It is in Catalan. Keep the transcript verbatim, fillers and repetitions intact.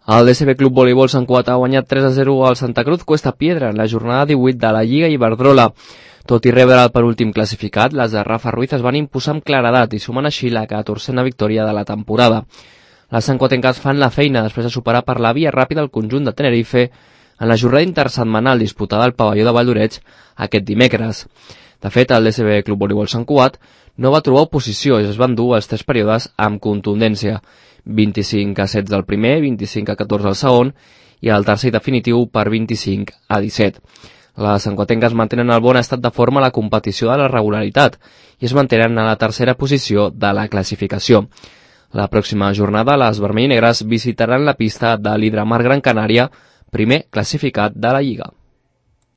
El D S B Club Voleibol Sant Cugat ha guanyat tres a zero al Santa Cruz Cuesta Piedra en la jornada divuit de la Lliga Iberdrola. Tot i rebre el penúltim classificat, les de Rafa Ruiz es van imposar amb claredat i sumen així la catorzena victòria de la temporada. Les santcuatenques fan la feina després de superar per la via ràpida el conjunt de Tenerife en la jornada intersetmanal disputada al pavelló de Valldoreix aquest dimecres. De fet, el D S B Club Voleibol Sant Cugat no va trobar oposició i es van dur els tres períodes amb contundència. vint-i-cinc a setze al primer, vint-i-cinc a catorze al segon i el tercer definitiu per vint-i-cinc a disset. Les santcuatenques mantenen el bon estat de forma a la competició de la regularitat i es mantenen a la tercera posició de la classificació. La pròxima jornada, les vermell i negres visitaran la pista de l'Hidramar Gran Canària, primer classificat de la Lliga.